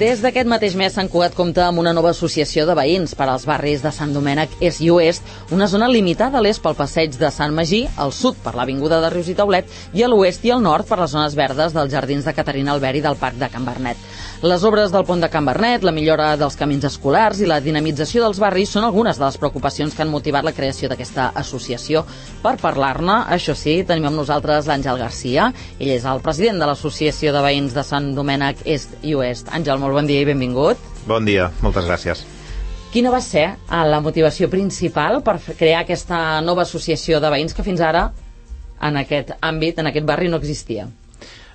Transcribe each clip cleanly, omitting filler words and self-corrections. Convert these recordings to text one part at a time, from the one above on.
Des d'aquest mateix mes, Sant Cugat compta amb una nova associació de veïns per als barris de Sant Domènec Est i Oest, una zona limitada a l'est pel passeig de Sant Magí, al sud per l'avinguda de Rius i Taulet i a l'oest i al nord per les zones verdes dels jardins de Caterina Albert i del Parc de Can Bernet. Les obres del pont de Can Bernet, la millora dels camins escolars i la dinamització dels barris són algunes de les preocupacions que han motivat la creació d'aquesta associació. Per parlar-ne, això sí, tenim amb nosaltres l'Àngel Garcia. Ell és el president de l'Associació de Veïns de Sant Domènec Est i Oest. Àngel, molt bon dia i benvingut. Bon dia, moltes gràcies. Quina va ser la motivació principal per crear aquesta nova associació de veïns que fins ara en aquest àmbit, en aquest barri, no existia?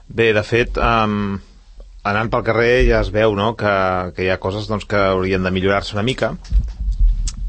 Bé, de fet, anant pel carrer ja es veu, no?, que hi ha coses doncs, que haurien de millorar-se una mica,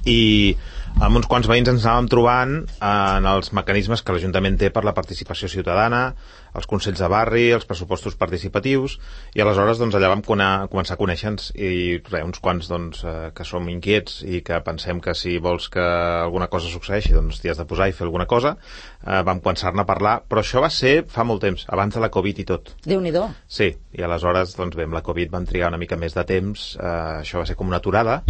i amb uns quants veïns ens anàvem trobant en els mecanismes que l'Ajuntament té per la participació ciutadana, els consells de barri, els pressupostos participatius, i aleshores doncs, allà vam començar a conèixer-nos, i uns quants doncs, que som inquiets i que pensem que si vols que alguna cosa succeeixi doncs t'hi has de posar i fer alguna cosa, vam començar-ne a parlar, però això va ser fa molt temps, abans de la Covid i tot. Déu-n'hi-do. Sí, i aleshores doncs, bé, amb la Covid van trigar una mica més de temps, això va ser com una aturada,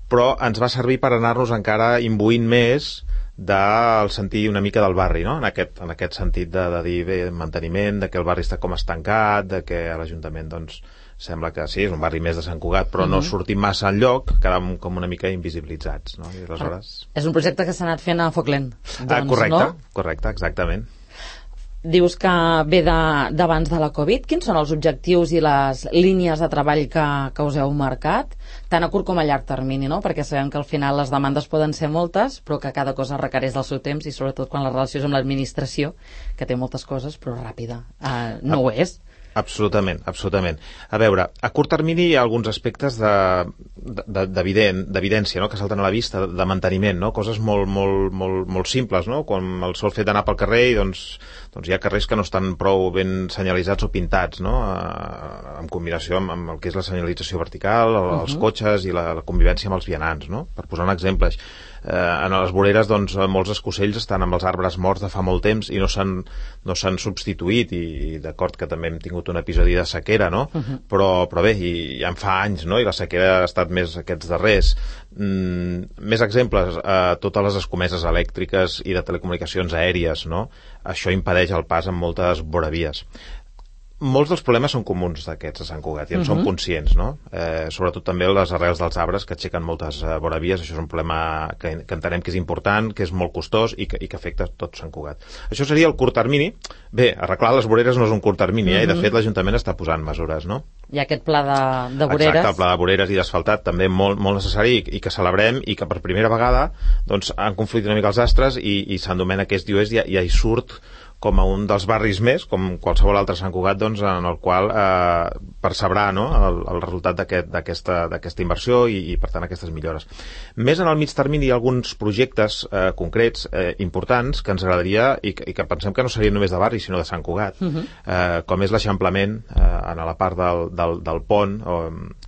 però ens va servir per anar-nos encara imbuint més del sentir una mica del barri, no? En aquest sentit de dir, bé, manteniment, de que el barri està com estancat, de que a l'Ajuntament doncs, sembla que sí, és un barri més de Sant Cugat, però no sortim massa enlloc, quedàvem com una mica invisibilitzats, no? I aleshores... És un projecte que s'ha anat fent a foc lent, doncs, correcte, no? Correcte, exactament. Dius que ve d'abans de la Covid. Quins són els objectius i les línies de treball que us heu marcat, tant a curt com a llarg termini, no? Perquè sabem que al final les demandes poden ser moltes, però que cada cosa requereix del seu temps, i sobretot quan la relació és amb l'administració, que té moltes coses, però ràpida. No ho és. Absolutament, absolutament. A veure, a curt termini hi ha alguns aspectes d'evidència, no?, que salten a la vista, de manteniment, no?, coses molt simples, no?, com el sol fet d'anar pel carrer i doncs hi ha carrers que no estan prou ben senyalitzats o pintats, no?, en combinació amb el que és la senyalització vertical, els cotxes i la convivència amb els vianants, no?, per posar un exemple. En les voreres doncs, molts escocells estan amb els arbres morts de fa molt temps i no s'han substituït, i d'acord que també hem tingut un episodi de sequera, no? Però bé, ja en fa anys, no? I la sequera ha estat més aquests darrers. Més exemples, totes les escomeses elèctriques i de telecomunicacions aèries, no? Això impedeix el pas en moltes voravies. Molts dels problemes són comuns d'aquests a Sant Cugat i en som conscients, no? Sobretot també les arrels dels arbres que aixequen moltes voravies. Això és un problema que entenem que és important, que és molt costós i que afecta tot Sant Cugat. Això seria el curt termini. Bé, arreglar les voreres no és un curt termini, i de fet l'Ajuntament està posant mesures, no? Hi ha aquest pla de voreres. Exacte, el pla de voreres i d'asfaltat també molt necessari, i que celebrem, i que per primera vegada doncs, han conflictit una mica els astres, i Sant Domènec Est i Oest ja hi surt com a un dels barris més, com qualsevol altre Sant Cugat, doncs, en el qual percebrà, no?, el resultat d'aquesta inversió i per tant aquestes millores. Més en el mig termini hi ha alguns projectes concrets, importants, que ens agradaria i que pensem que no serien només de barri sinó de Sant Cugat, com és l'eixamplament en la part del pont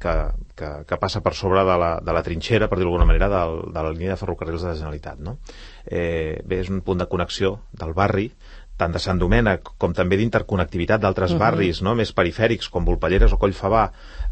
que passa per sobre de la trinxera, per dir-ho d'alguna manera, de la línia de ferrocarrils de la Generalitat, no? Bé, és un punt de connexió del barri, tant de Sant Domènec com també d'interconnectivitat d'altres barris, no?, més perifèrics com Volpelleres o Collfabà,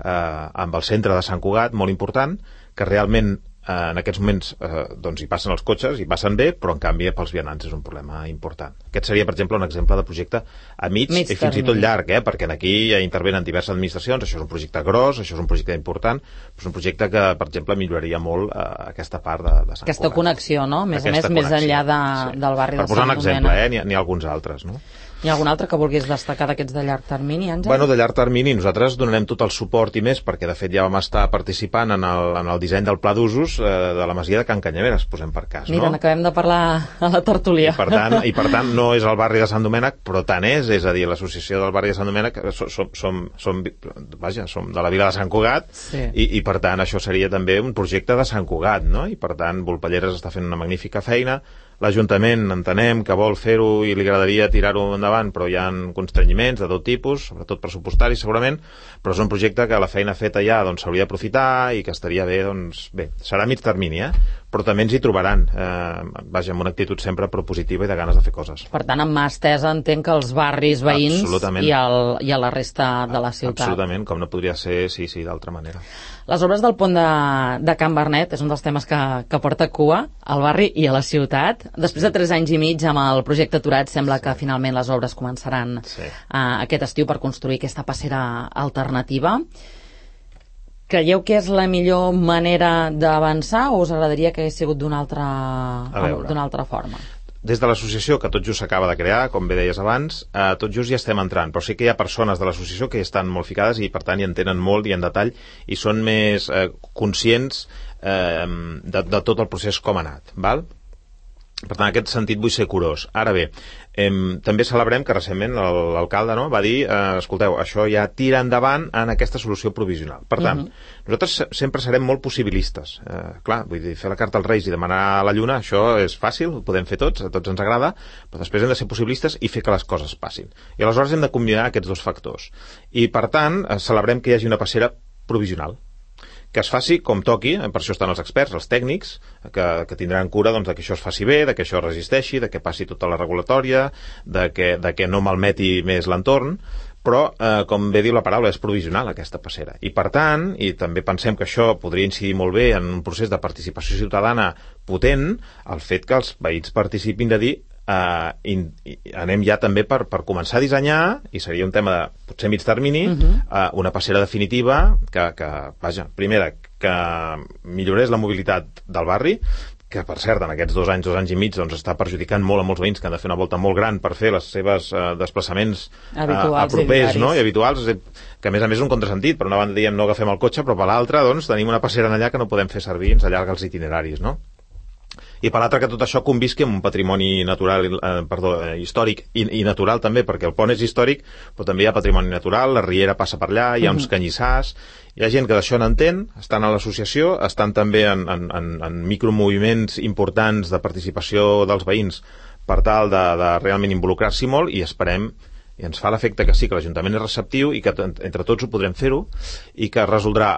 amb el centre de Sant Cugat, molt important, que realment en aquests moments doncs hi passen els cotxes, hi passen bé, però en canvi pels vianants és un problema important. Aquest seria, per exemple, un exemple de projecte a mig i fins i tot llarg, perquè aquí ja intervenen diverses administracions. Això és un projecte gros, això és un projecte important, però és un projecte que, per exemple, milloraria molt aquesta part de Sant Cugat. Aquesta connexió, no? A més a més, més enllà del barri de Sant Domènec. Per posar un exemple, n'hi ha alguns altres, no? Hi ha algun altre que vulguis destacar d'aquests de llarg termini, Àngel? Bueno, de llarg termini nosaltres donarem tot el suport i més, perquè de fet ja vam estar participant en el disseny del pla d'usos de la masia de Can Canyameres, posem per cas, no? Mira, n'acabem de parlar a la tertúlia. I per tant no és el barri de Sant Domènec, però tant és a dir, l'associació del barri de Sant Domènec som de la vila de Sant Cugat, i per tant això seria també un projecte de Sant Cugat, no? I per tant Volpelleres està fent una magnífica feina. L'Ajuntament entenem que vol fer-ho i li agradaria tirar-ho endavant, però hi ha constrenyiments de tot tipus, sobretot pressupostaris segurament, però és un projecte que la feina feta ja s'hauria d'aprofitar i que estaria bé, doncs bé, serà a mig termini, però també ens hi trobaran, vaja, amb una actitud sempre propositiva i de ganes de fer coses. Per tant, amb mà estesa entenc que els barris veïns i a la resta de la ciutat. Absolutament, com no podria ser, sí, d'altra manera. Les obres del pont de Can Bernet és un dels temes que porta cua al barri i a la ciutat. Després de 3 anys i mig amb el projecte aturat, sembla que finalment les obres començaran aquest estiu per construir aquesta passera alternativa. Creieu que és la millor manera d'avançar o us agradaria que hagués sigut d'una altra forma? Des de l'associació, que tot just s'acaba de crear, com bé deies abans, tot just hi estem entrant, però sí que hi ha persones de l'associació que hi estan molt ficades i per tant hi entenen molt i en detall i són més conscients de tot el procés com ha anat, val? Per tant, en aquest sentit vull ser curós. Ara bé, també celebrem que recentment l'alcalde va dir, escolteu, això ja tira endavant en aquesta solució provisional. Per tant, nosaltres sempre serem molt possibilistes. Clar, vull dir, fer la carta als Reis i demanar la lluna, això és fàcil, ho podem fer tots, a tots ens agrada, però després hem de ser possibilistes i fer que les coses passin. I aleshores hem de combinar aquests dos factors. I per tant, celebrem que hi hagi una passera provisional, que es faci com toqui, per això estan els experts, els tècnics, que tindran cura de que això es faci bé, de que això resisteixi, de que passi tota la regulatòria, de que no malmeti més l'entorn, però, com bé diu la paraula, és provisional aquesta passera. I per tant, i també pensem que això podria incidir molt bé en un procés de participació ciutadana potent, el fet que els veïns participin de dir anem ja també per començar a dissenyar, i seria un tema de potser mig termini, una passera definitiva que vaja, primera, que millorés la mobilitat del barri, que per cert en aquests 2 anys i mig està perjudicant molt a molts veïns que han de fer una volta molt gran per fer les seves desplaçaments propers i habituals, que a més és un contrasentit. Per una banda diem no agafem el cotxe, però per l'altra tenim una passera allà que no podem fer servir, ens allarga els itineraris, no? I per l'altre que tot això convisqui amb un patrimoni natural, històric i natural també, perquè el pont és històric, però també hi ha patrimoni natural, la riera passa per allà, hi ha uns canyissars, hi ha gent que d'això n'entén, estan a l'associació, estan també en micromoviments importants de participació dels veïns per tal de realment involucrar-s'hi molt, i esperem, i ens fa l'efecte que sí, que l'Ajuntament és receptiu i que entre tots ho podrem fer-ho i que resoldrà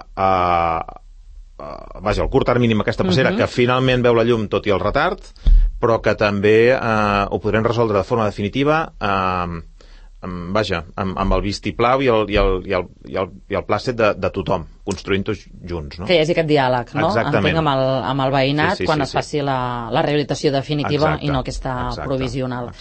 vaja, el curt termini amb aquesta passera que finalment veu la llum tot i el retard, però que també ho podrem resoldre de forma definitiva vaja, amb el vistiplau i el plàcet de tothom, construint-ho junts, no? Que hi hagi aquest diàleg, no? Exactament. Entenc amb el veïnat quan es faci la rehabilitació definitiva i no aquesta provisional.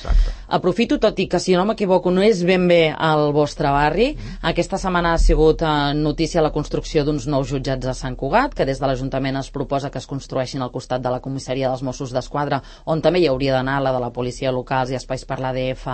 Aprofito, tot i que si no m'equivoco no és ben bé al vostre barri, aquesta setmana ha sigut notícia la construcció d'uns nous jutjats a Sant Cugat, que des de l'Ajuntament es proposa que es construeixin al costat de la comissaria dels Mossos d'Esquadra, on també hi hauria d'anar la de la policia locals i espais per l'ADF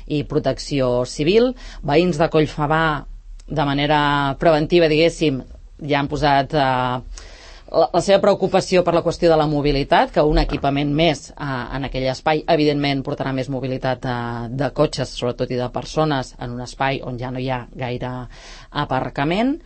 i protecció civil. Veïns de Collfabà, de manera preventiva, diguéssim, ja han posat la seva preocupació per la qüestió de la mobilitat, que un equipament més en aquell espai evidentment portarà més mobilitat de cotxes, sobretot, i de persones en un espai on ja no hi ha gaire aparcament.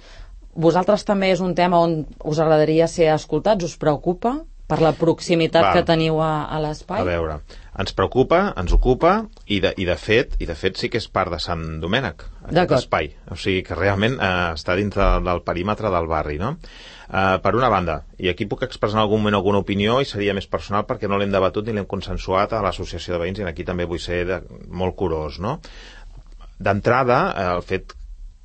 Vosaltres també és un tema on us agradaria ser escoltats? Us preocupa per la proximitat que teniu a l'espai? A veure, ens preocupa, ens ocupa i de fet sí que és part de Sant Domènec, aquest espai, o sigui que realment està dintre del perímetre del barri, no? Per una banda, i aquí puc expressar en algun moment alguna opinió i seria més personal perquè no l'hem debatut ni l'hem consensuat a l'associació de veïns, i aquí també vull ser molt curós, no? D'entrada, el fet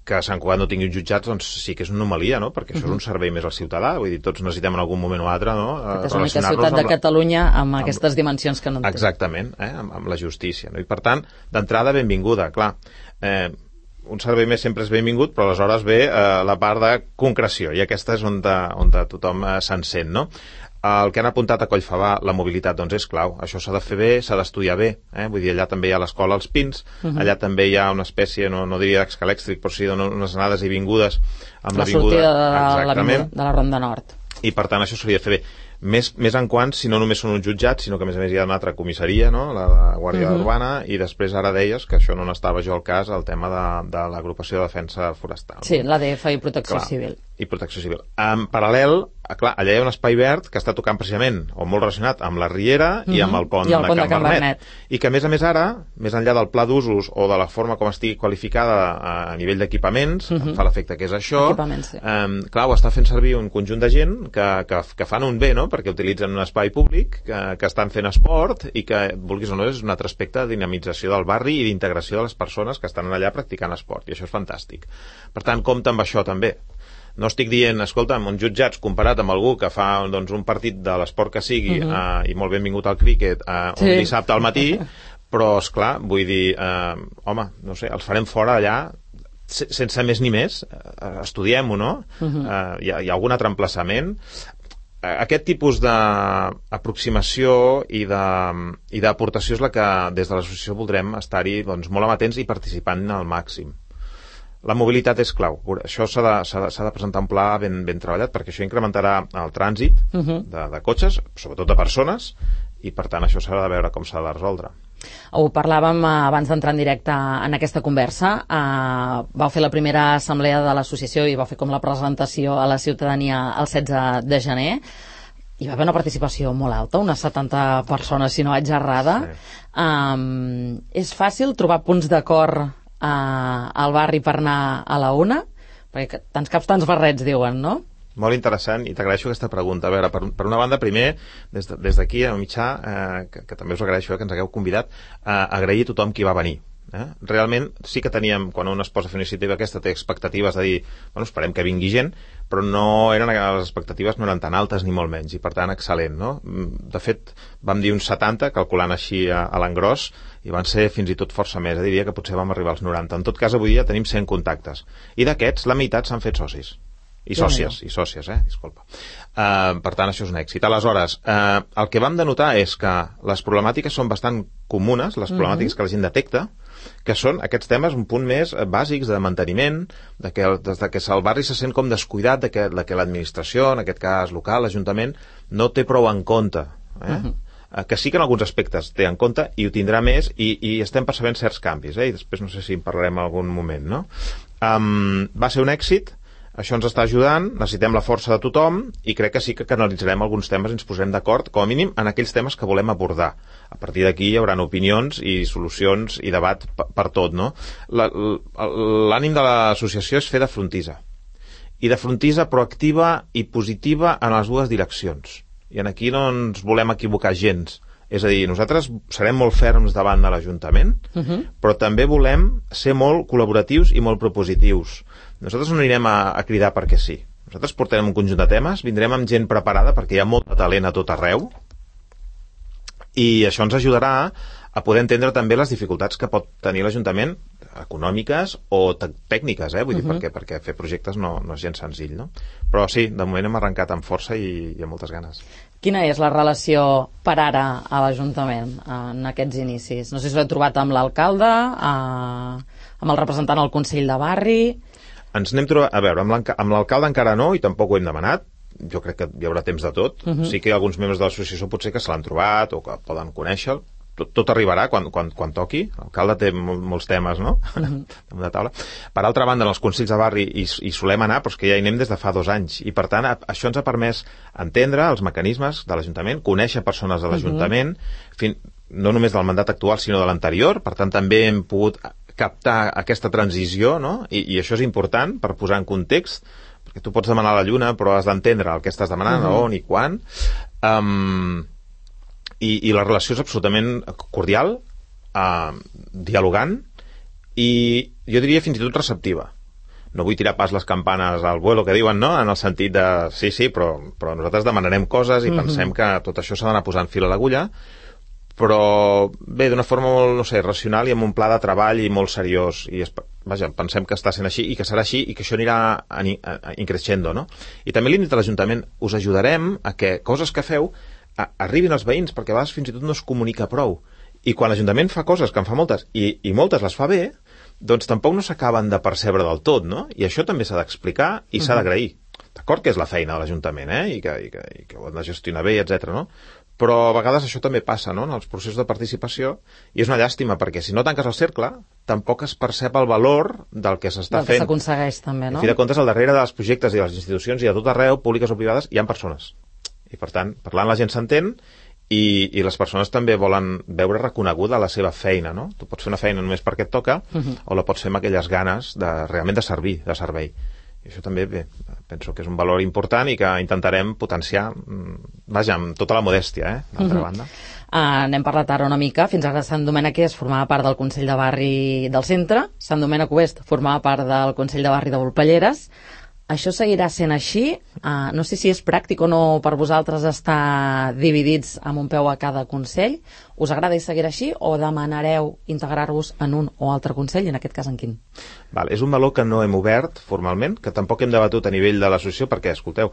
que Sant Cugat no tingui uns jutjats, doncs sí que és una anomalia, no? Perquè això és un servei més al ciutadà, vull dir, tots necessitem en algun moment o altre, no? És l'única ciutat de Catalunya amb aquestes dimensions que no en té. Exactament, amb la justícia, no? I per tant, d'entrada, benvinguda, clar. Un servei més sempre és benvingut, però aleshores ve la part de concreció, i aquesta és on tothom s'encén, no? El que han apuntat a Collfabà, la mobilitat, doncs és clau. Això s'ha de fer bé, s'ha d'estudiar bé. Vull dir, allà també hi ha l'escola als Pins, allà també hi ha una espècie, no diria d'escalèxtric, però sí unes anades i vingudes amb la sortida de la Ronda Nord. I per tant això s'hauria de fer bé. Més en quant, si no només són uns jutjats, sinó que a més hi ha una altra comissaria, no? La Guàrdia Urbana, i després ara deies, que això no n'estava jo al cas, el tema de l'agrupació de defensa forestal. Sí, l'ADF i protecció civil. i Protecció Civil. En paral·lel, clar, allà hi ha un espai verd que està tocant precisament, o molt relacionat amb la Riera i amb el pont de Can Vernet. I que, a més ara, més enllà del pla d'usos o de la forma com estigui qualificada a nivell d'equipaments, em fa l'efecte que és això, clar, ho està fent servir un conjunt de gent que fan un bé, no?, perquè utilitzen un espai públic, que estan fent esport i que, vulguis o no, és un altre aspecte de dinamització del barri i d'integració de les persones que estan allà practicant esport, i això és fantàstic. Per tant, compta amb això també. No estic dient, escolta'm, uns jutjats comparat amb algú que fa un partit de l'esport que sigui i molt benvingut al críquet un dissabte al matí, però, esclar, vull dir, home, no sé, els farem fora allà sense més ni més. Estudiem-ho, no? Hi ha algun altre emplaçament? Aquest tipus d'aproximació i d'aportació és la que des de l'associació voldrem estar-hi molt amatents i participant al màxim. La mobilitat és clau. Això s'ha de presentar un pla ben treballat, perquè això incrementarà el trànsit de cotxes, sobretot de persones, i per tant això s'ha de veure com s'ha de resoldre. Ho parlàvem abans d'entrar en directe en aquesta conversa. Vau fer la primera assemblea de l'associació i vau fer com la presentació a la ciutadania el 16 de gener. Hi va haver una participació molt alta, unes 70 persones, si no vaig errada. És fàcil trobar punts d'acord al barri per anar a la una? Perquè tants caps, tants barrets, diuen, no? Molt interessant, i t'agraeixo aquesta pregunta. A veure, per una banda, primer, des d'aquí, a Mitjà, que també us agraeixo que ens hagueu convidat, agrair a tothom qui va venir. Realment sí que teníem, quan un es posa a fer una iniciativa aquesta, té expectatives de dir, bueno, esperem que vingui gent, però les expectatives no eren tan altes ni molt menys, i per tant excel·lent, no? De fet, vam dir uns 70, calculant així a l'engròs, i van ser fins i tot força més, diria que potser vam arribar als 90. En tot cas, avui dia tenim 100 contactes, i d'aquests la meitat s'han fet socis. I sòcies, disculpa. Per tant, això és un èxit. Aleshores, el que vam denotar és que les problemàtiques són bastant comunes, les problemàtiques que la gent detecta, que són aquests temes un punt més bàsics de manteniment, des que el barri se sent com descuidat, de que l'administració, en aquest cas local, l'Ajuntament, no té prou en compte. Que sí que en alguns aspectes té en compte i ho tindrà més, i estem percebent certs canvis, i després no sé si en parlarem en algun moment, no? Va ser un èxit. Això ens està ajudant, necessitem la força de tothom i crec que sí que canalitzarem alguns temes i ens posarem d'acord, com a mínim, en aquells temes que volem abordar. A partir d'aquí hi haurà opinions i solucions i debat per tot, no? L'ànim de l'associació és fer de frontissa. I de frontissa proactiva i positiva en les dues direccions. I aquí no ens volem equivocar gens. És a dir, nosaltres serem molt ferms davant de l'Ajuntament, però també volem ser molt col·laboratius i molt propositius. Nosaltres no anirem a cridar perquè sí. Nosaltres portarem un conjunt de temes, vindrem amb gent preparada perquè hi ha molt de talent a tot arreu, i això ens ajudarà a poder entendre també les dificultats que pot tenir l'Ajuntament, econòmiques o tècniques, vull dir, perquè fer projectes no és gens senzill, no? Però sí, de moment hem arrencat amb força i amb moltes ganes. Quina és la relació per ara a l'Ajuntament en aquests inicis? No sé si l'he trobat amb l'alcalde, amb el representant al Consell de Barri. Ens n'hem trobat, a veure, amb l'alcalde encara no, i tampoc ho hem demanat. Jo crec que hi haurà temps de tot. Sí que alguns membres de l'associació potser que se l'han trobat o que poden conèixer-lo. Tot arribarà quan toqui. L'alcalde té molts temes, no? Damunt de taula. Per altra banda, en els consells de barri hi solem anar, però és que ja hi anem des de fa 2 anys. I per tant, això ens ha permès entendre els mecanismes de l'Ajuntament, conèixer persones de l'Ajuntament, no només del mandat actual, sinó de l'anterior. Per tant, també hem pogut captar aquesta transició, no? I això és important per posar en context, perquè tu pots demanar la lluna, però has d'entendre el que estàs demanant, on i quan. I la relació és absolutament cordial, dialogant, i jo diria fins i tot receptiva. No vull tirar pas les campanes al vuelo que diuen, no? En el sentit de, sí, però nosaltres demanarem coses i pensem que tot això s'ha d'anar posant fil a l'agulla, però bé, d'una forma molt, no sé, racional i amb un pla de treball i molt seriós, i vaja, pensem que està sent així i que serà així i que això anirà increixendo, no? I també li hem dit a l'Ajuntament, us ajudarem a que coses que feu arribin als veïns, perquè a vegades fins i tot no es comunica prou, i quan l'Ajuntament fa coses, que en fa moltes, i moltes les fa bé, doncs tampoc no s'acaben de percebre del tot, no? I això també s'ha d'explicar i s'ha d'agrair. D'acord que és la feina de l'Ajuntament, i que ho han de gestionar bé, etc. no? però a vegades això també passa, no?, en els processos de participació, i és una llàstima, perquè si no tanques el cercle, tampoc es percep el valor del que s'està fent. Del que s'aconsegueix també, no? A fi de comptes, al darrere dels projectes i de les institucions i a tot arreu, públiques o privades, hi ha persones. I per tant, parlant la gent s'entén, i les persones també volen veure reconeguda la seva feina, no? Tu pots fer una feina només perquè et toca, o la pots fer amb aquelles ganes realment de servir, de servei. I això també, bé, penso que és un valor important i que intentarem potenciar, vaja, amb tota la modèstia, d'altra banda. N'hem parlat ara una mica. Fins ara Sant Domènec Est formava part del Consell de Barri del Centre, Sant Domènec Oest formava part del Consell de Barri de Volpelleres. Això seguirà sent així? No sé si és pràctic o no per vosaltres estar dividits amb un peu a cada Consell. Us agrada seguir així o demanareu integrar-vos en un o altre Consell, i en aquest cas en quin? És un valor que no hem obert formalment, que tampoc hem debatut a nivell de l'associació, perquè, escolteu,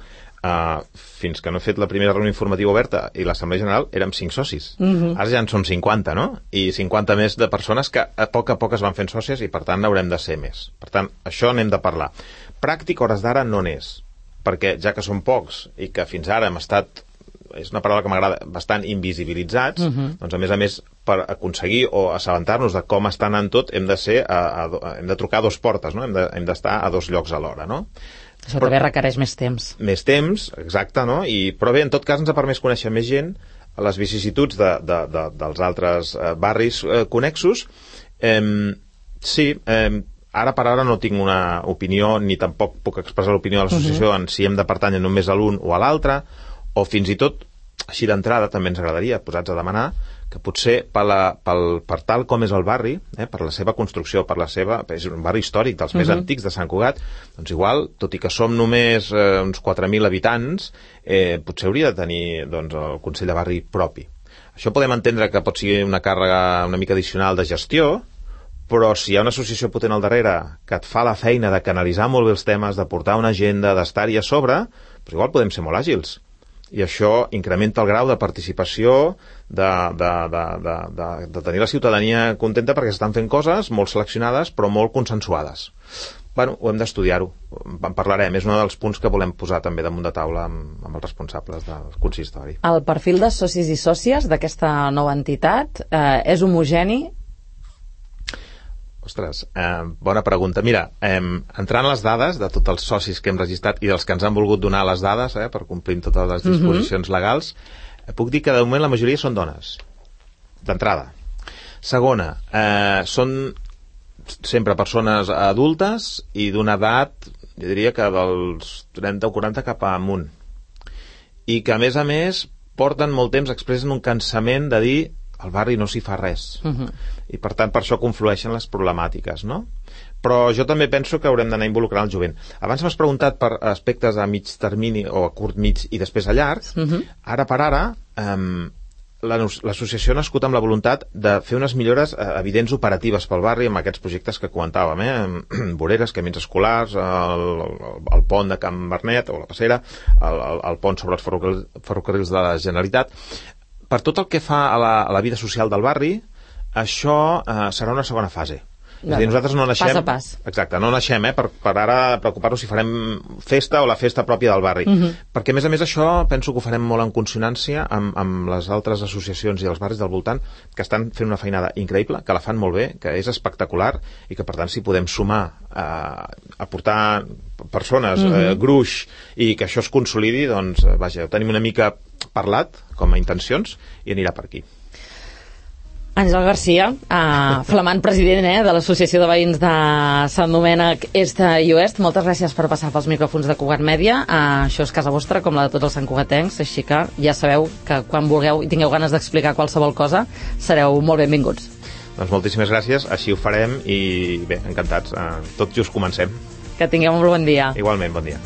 fins que no he fet la primera reunió informativa oberta i l'Assemblea General érem 5 socis. Ara ja en som 50, no? I 50 més de persones que a poc es van fent sòcies, i per tant haurem de ser més. Per tant, això n'hem de parlar. Pràctic, hores d'ara, no n'és, perquè ja que som pocs i que fins ara hem estat, és una paraula que m'agrada, bastant invisibilitzats, doncs a més, per aconseguir o assabentar-nos de com està anant tot, hem de trucar a 2 portes, no? Hem d'estar a 2 llocs alhora, no? Això també requereix més temps. Més temps, exacte, no? Però bé, en tot cas ens ha permès conèixer més gent, a les vicissituds dels altres barris connexos. Sí, ara per ara no tinc una opinió, ni tampoc puc expressar l'opinió de l'associació en si hem de pertànyer només a l'un o a l'altre, o fins i tot, així d'entrada, també ens agradaria, posats a demanar, que potser per tal com és el barri, per la seva construcció, és un barri històric dels més antics de Sant Cugat, doncs igual, tot i que som només uns 4.000 habitants, potser hauria de tenir el Consell de Barri propi. Això podem entendre que pot ser una càrrega una mica addicional de gestió, però si hi ha una associació potent al darrere que et fa la feina de canalitzar molt bé els temes, de portar una agenda, d'estar-hi a sobre, doncs igual podem ser molt àgils. I això incrementa el grau de participació, de tenir la ciutadania contenta perquè s'estan fent coses molt seleccionades però molt consensuades. Ho hem d'estudiar-ho, en parlarem, és un dels punts que volem posar també damunt de taula amb els responsables del consistori. El perfil de socis i sòcies d'aquesta nova entitat és homogeni? Ostres, bona pregunta. Mira, entrant les dades de tots els socis que hem registrat i dels que ens han volgut donar les dades per complir totes les disposicions legals, puc dir que de moment la majoria són dones, d'entrada. Segona, són sempre persones adultes i d'una edat, jo diria que dels 30 o 40 cap amunt. I que, a més, porten molt temps, expressen un cansament de dir al barri no s'hi fa res. I per tant per això conflueixen les problemàtiques, no? Però jo també penso que haurem d'anar involucrant el jovent. Abans m'has preguntat per aspectes a mig termini o a curt, mig i després a llarg. Ara per ara l'associació ha nascut amb la voluntat de fer unes millores evidents operatives pel barri amb aquests projectes que comentàvem, voreres, camins escolars, el pont de Can Bernet o la Passera, el pont sobre els ferrocarrils de la Generalitat. Per tot el que fa a la vida social del barri, això serà una segona fase. És a dir, nosaltres no naixem... Pas a pas. Exacte, no naixem per ara preocupar-nos si farem festa o la festa pròpia del barri. Perquè, a més, això penso que ho farem molt en consonància amb les altres associacions i els barris del voltant que estan fent una feinada increïble, que la fan molt bé, que és espectacular i que, per tant, si podem sumar a portar persones, gruix, i que això es consolidi, doncs, vaja, ho tenim una mica parlat com a intencions i anirà per aquí. Àngel Garcia, flamant president de l'Associació de Veïns de Sant Domènec Est i Oest, moltes gràcies per passar pels micròfons de Cugat Mèdia. Això és casa vostra, com la de tots els santcugatencs, així que ja sabeu que quan vulgueu i tingueu ganes d'explicar qualsevol cosa, sereu molt benvinguts. Doncs moltíssimes gràcies, així ho farem i bé, encantats. Tot just comencem. Que tingueu un bon dia. Igualment, bon dia.